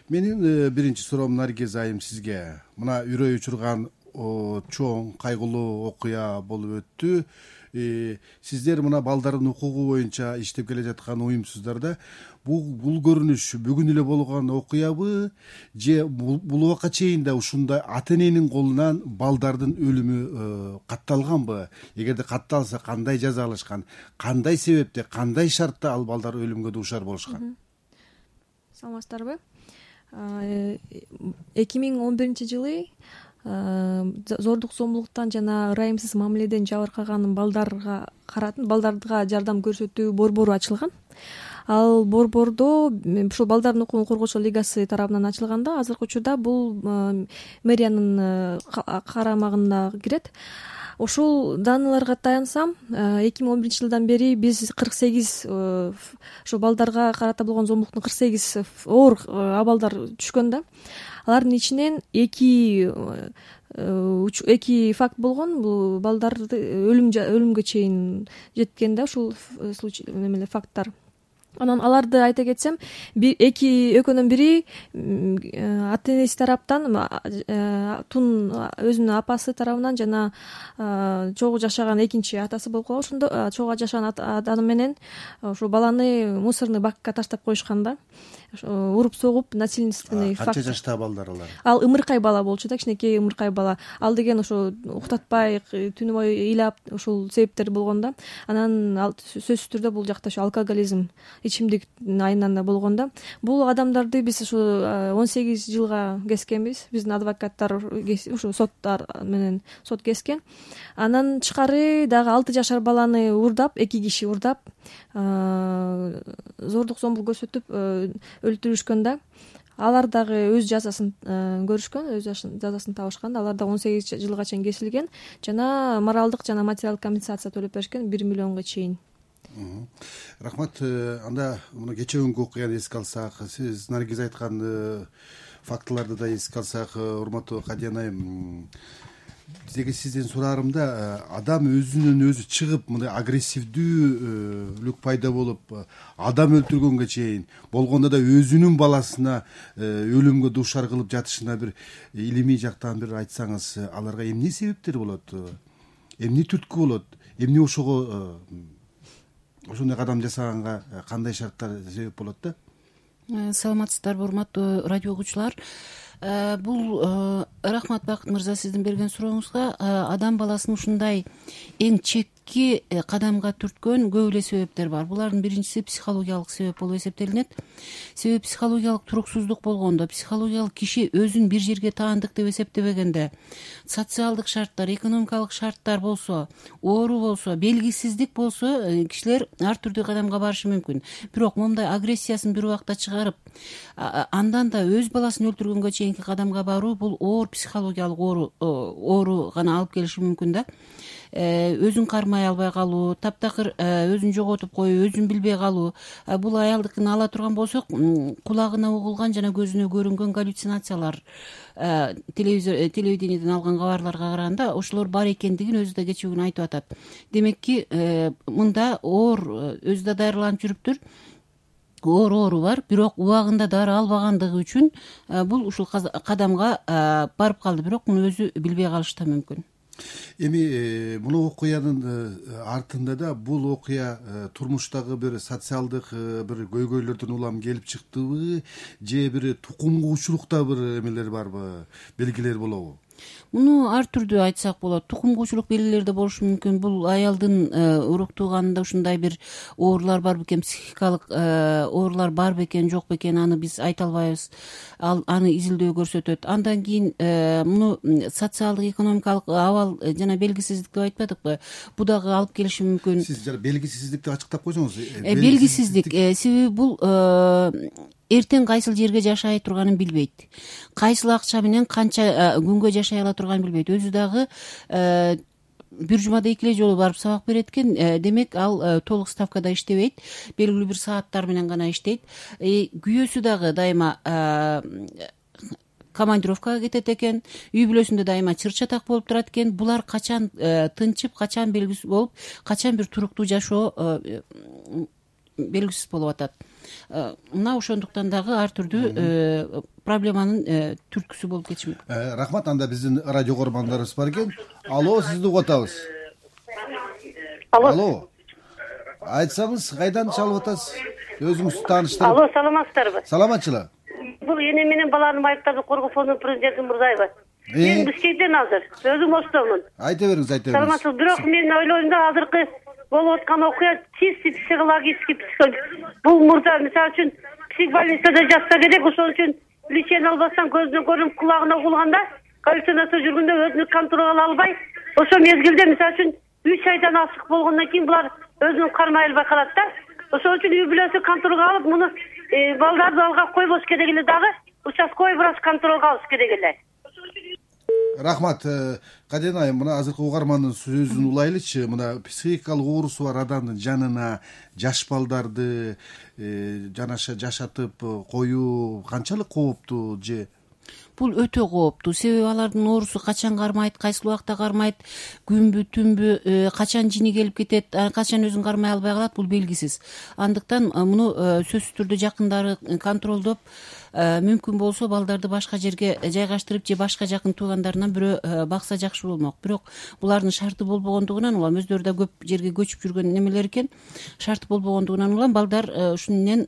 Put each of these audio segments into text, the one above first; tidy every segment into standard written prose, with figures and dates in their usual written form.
Менин биринчи суроом Наргиз айым сизге. Мына үрөй учурган чоң кайгылуу окуя болуп өттү. Сиздер мына балдардын укугу боюнча иштеп келе жаткан уюмсуздар да бул көрүнүш бүгүн эле болгон окуябы же бул убакка чейин да ушундай ата эненин колунан балдардын өлүмү катталганбы? Эгерде катталса кандай жаза алышкан, кандай себепте, кандай шартта ал балдар өлүмгө дуушар болушкан? Саламатсыздарбы? 2011-жылы зордук зомбулуктан жана ырайымсыз мамиледен жабыркаган балдарга жардам көрсөтүү борбору ачылган. Ал борбордо ушул балдардын укугун коргоочу лигасы тарабынан ачылганда азыркы учурда бул мэриянын карамагына кирет. Ушул даныларга таянсам, 2011-жылдан бери биз 48 ошо балдарга карата болгон зомбулуктун 48 оор абалдар түшкөн да. Алардын ичинен 2 факт болгон. Бул балдарды өлүмгө чейин жеткен да ушул случай факттар. Анан аларды айта кетсем, экөөнүн бири ата энеси тараптан, Тун өзүнүн апасы тарабынан жана чогуу жашаган экинчи атасы болуп калган. Ошондо чогуу жашаган адам менен ушул баланы мусорный бакка таштап коюшкан да. Уруп согуп, насильственный факт. Канча жаштагы балдар алар? Ал ымыркай бала болчу да, кичинекей ымыркай бала. Ал деген ошо уктатпай, түнү бою ыйлап, ушул себептер болгон да. Анан сөзсүз түрдө бул жакта ошо алкоголизм, ичимдиктин айынан да болгон да. Бул адамдарды биз ушу 18 жылга кескенбиз. Биздин адвокаттар ушу соттар менен сот кескен. Анан тышкары дагы 6 жашар баланы урдап, 2 киши урдап, зордук зомбулук көрсөтүп өлтүрүшкөн да. Алар дагы өз жазасын көрүшкөн, өз жазасын табышкан. Алар да 18 жылга чейин кесилген жана моралдык жана материалдык компенсация төлөп беришкен 1 миллионго чейин. Рахмат. Анда муну кечээ окуяны эске алсак, сиз Наргиз айткан фактыларды да эске алсак, урматтуу Кадиян айым, сизден сураарымда, адам өзүнөн өзү чыгып мындай агрессивдүүлүк пайда болуп, адам өлтүргөнгө чейин болгондо да өзүнүн баласына өлүмгө дуушар кылып жатышына бир илимий жактан бир айтсаңыз, аларга эмне себептер болот? Эмне түрткү болот? Эмне ошого ошондой кадам жасаганга кандай шарттар себеп болот да? Саламатсыздарбы, урматтуу радио угуучулар. Бул рахмат Бакыт мырза сиздин берген сурооңузга. Адам баласын ушундай эң чекки кадамга түрткөн көп эле себептер бар. Булардын биринчиси психологиялык себеп болуп эсептелинет. Себеби психологиялык туруксуздук болгондо, психологиялык киши өзүн бир жерге таандык деп эсептебегенде, социалдык шарттар, экономикалык шарттар болсо, оору болсо, белгисиздик болсо, кишилер ар түрдүү кадамга барышы мүмкүн. Бирок момундай агрессиясын бир убакта чыгарып, андан да өз баласын өлтүргөнгө чейинки кадамга баруу, бул оор психологиялык оору гана алып келиши мүмкүн да. Өзүн кармай албай калуу, таптакыр өзүн жоготуп коюу, өзүн билбей калуу. Бул аялдыкын ала турган болсок, кулагына угулган жана көзүнө көрүнгөн галлюцинациялар, телевидениеден алган кабарларга караганда ошолор бар экендигин өзү да кечээ күнү айтып атат. Демекки, мында оор өзү да дарыланып жүрүптүр. Оору бар, бирок убагында дары албагандыгы үчүн бул ушул кадамга барып калды, бирок муну өзү билбей калышы да мүмкүн. Эми муну окуянын артында да бул окуя турмуштагы бир социалдык бир көйгөйлөрдөн улам келип чыктыбы, же бир тукум куучулукта бир эмелер барбы, белгилер болобу? Муну ар түрдүү айтсак болот. Тукум куучулук белгилери да болушу мүмкүн. Бул аялдын урук тууганында ушундай бир оорулар бар бекен, психикалык оорулар бар бекен, жок бекен, аны биз айта албайбыз. Аны изилдөө көрсөтөт. Андан кийин муну социалдык, экономикалык абал жана белгисиздик деп айтпадыкпы? Бу дагы алып келиши мүмкүн. Сиз белгисиздикти ачыктап койсоңуз. Белгисиздик себеби бул эртең кайсыл жерге жашай турганын билбейт. Кайсыл акча менен канча күнгө жашай ала турганын билбейт. Өзү дагы бир жумада 2 эле жолу барып сабак берет экен. Демек, ал толук ставкада иштебейт. Белгилүү бир сааттар менен гана иштейт. Күйөөсү дагы дайыма командировкага кетет экен. Үй бүлөсүндө дайыма чыр-чатак болуп турат экен. Булар качан тынчып, качан белгисиз болуп, качан бир туруктуу жашоо белгисиз болуп атат. мына ошондуктан дагы ар түрдүү проблеманын түрткүсү болуп кетиши мүмкүн. Рахмат. Анда биздин радио көрөрмандарыбыз бар экен. Алло, сизди угуп атабыз. Алло. Айтсаңыз, кайдан чалып атасыз? Өзүңүздү тааныштырып. Алло, саламатсыздарбы? Саламатчыла. Бул эне менен баланын майыптарды коргоо фондунун президенти Мурзаева. Мен Бишкектен азыр. Өзүм Оштомун. Айта бериңиз, айта бериңиз. Саламатсыз. Бирок мен ойлойм да, азыркы болуп аткан окуя чисто психологический. Бул мурда мисалы үчүн психбольницада жатса керек, ошол үчүн лечение албастан көзүнө көрүнүп, кулагына угулганда, галлюцинация жүргөндө өзүнү контролго ала албай, ошол мезгилде мисалы үчүн 3 айдан ашык болгондон кийин булар өзүн кармай албай калат да. Ошол үчүн үй бүлөсү контролго алып, муну балдарды алгап койбош керек эле, дагы участковый врач контролго алыш керек эле. Рахмат. Каден айым, мына азыркы угармандын сөзүн улайлычы. Мына психикалык оорусу бар адамдын жанына жаш балдарды жашатып коюу канчалык кооптуу же? Бул өтө кооптуу. Себеби алардын оорусу качан кармайт, кайсыл убакта кармайт, күнбү, түнбү, качан жини келип кетет, качан өзүн кармай албай калат, бул белгисиз. Андыктан муну сөзсүз түрдө жакындары контролдоп, мүмкүн болсо балдарды башка жерге жайгаштырып же башка жакын туугандарынан бирөө бакса жакшы болмок. Бирок булардын шарты болбогондугунан улам, өздөрү да көп жерге көчүп жүргөн немелер экен, шарты болбогондугунан улам балдар ушун менен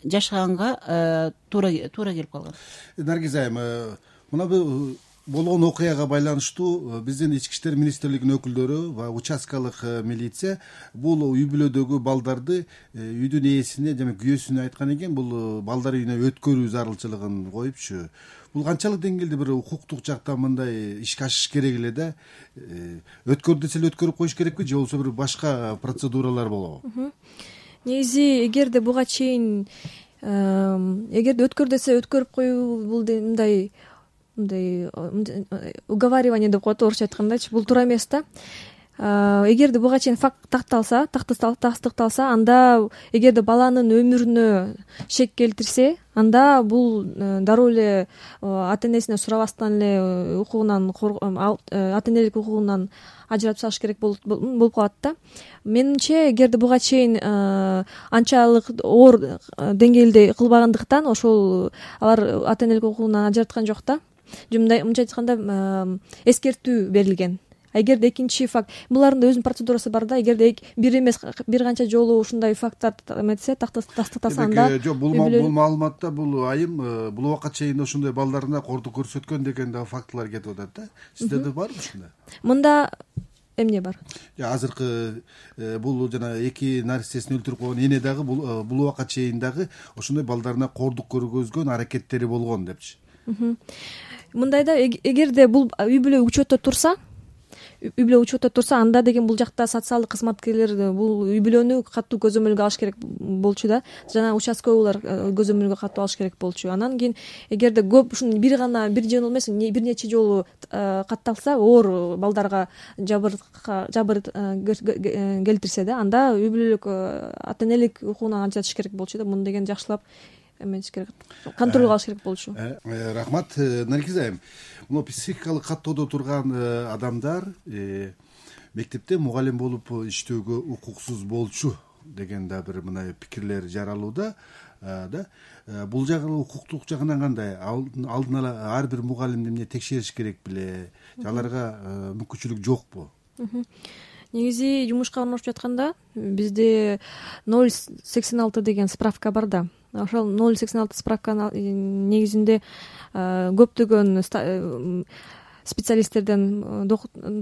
жашаганга туура келип калган. Наргиз айым, мына бул болгон окуяга байланыштуу биздин Ички иштер министрлигинин өкүлдөрү ва участкалык милиция бул үй бүлөдөгү балдарды үйдүн ээсине жана күйөөсүнө айткан экен, бул балдар үйүнө өткөрүү зарылчылыгын коюпчу. Бул канчалык деңгээлде бир укуктук жактан мындай ишке ашыш керек эле да? Өткөр десе эле өткөрүп коюш керекпи же болбосо бир башка процедуралар болобу? Негизи эгерде буга чейин эгерде өткөр десе өткөрүп коюу бул мындай уговаривание деп коет орусча айткандачы, бул туура эмес да. Эгерде буга чейин факт тастыкталса, анда эгерде баланын өмүрүнө шек келтирсе, анда бул дароо эле ата энесине сурабастан эле ата энелик укугунан ажыратып салыш керек болуп калат да. Менимче, эгерде буга чейин анчалык оор деңгээлде кылбагандыктан ошол алар ата энелик укугунан ажыраткан жок да. Мынча айтканда эскертүү берилген. Эгерде экинчи факт, булардын да өзүнүн процедурасы бар да. Эгерде бир эмес бир канча жолу ушундай факттар тастыкталса, анда жок, бул маалыматта бул айым бул убакка чейин ошондой балдарына кордук көрсөткөн деген да фактылар кетип атат да. Сиздерде барбы ушундай? Мында эмне бар? Азыркы бул жана 2 наристесин өлтүрүп койгон эне дагы бул убакка чейин дагы ошондой балдарына кордук көргөзгөн аракеттери болгон депчи. Мындайда, эгерде бул үй бүлө учетто турса, анда деген бул жакта социалдык кызматкерлер бул үй бүлөнү катуу көзөмөлгө алыш керек болчу да. Жана участковыйлар көзөмөлгө катуу алыш керек болчу. Анан кийин эгерде көп ушун бир жолу эмес, бир нече жолу катталса, оор балдарга жабыр келтирсе да, анда үй бүлөлүк ата энелик укугунан ажыратыш керек болчу да. Муну деген жакшылап эмес керек, контролго алыш керек болчу. Рахмат. Наргиз айым, мына психикалык каттоодо турган адамдар мектепте мугалим болуп иштөөгө укуксуз болчу деген да бир мына пикирлер жаралууда да. Бул жагы укуктук жагынан кандай? Алдын ала ар бир мугалимди эмне текшериш керек беле? Аларга мүмкүнчүлүк жокпу? Негизи жумушка орношуп жатканда бизде 086 деген справка бар да. Ошол 086 справканын негизинде көптөгөн специалисттерден,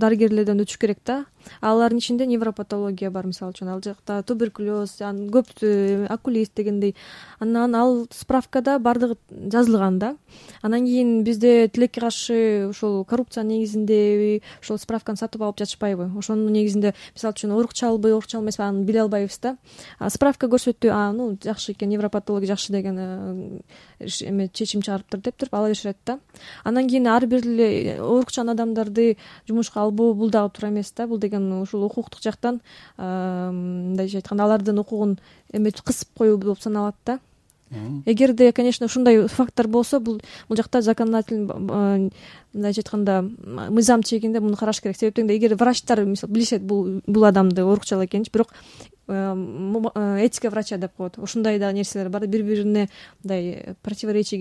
дарыгерлерден өтүш керек да. Алардын ичинде невропатология бар, мисалы үчүн, ал жакта туберкулез, көп окулист дегендей. Анан ал справкада бардыгы жазылган да. Анан кийин бизде тилекке каршы ошол коррупция негизинде ошол справканы сатып алып жатышпайбы? Ошонун негизинде, мисалы үчүн, урукчалбы, урукчал эмеспи, аны биле албайбыз да. Справка көрсөттү, жакшы экен, невропатология жакшы деген чечим чыгарыптыр деп ала беришет да. Анан кийин ар бир эле урукчан адамдарды жумушка албоо бул дагы туура эмес да. Бул деген ушул укуктук жактан мындайча айтканда алардын укугун кысып коюу болуп саналат да. эгерде, конечно, ушундай факттар болсо, бул жакта законодательный, мындайча айтканда, мыйзам чегинде муну караш керек. Себептен эгер врачтар мисалы билишет бул адамды оорукчалоо экенин, бирок этика врача деп коет, ушундай да нерселер бар, бири бирине мындай противоречие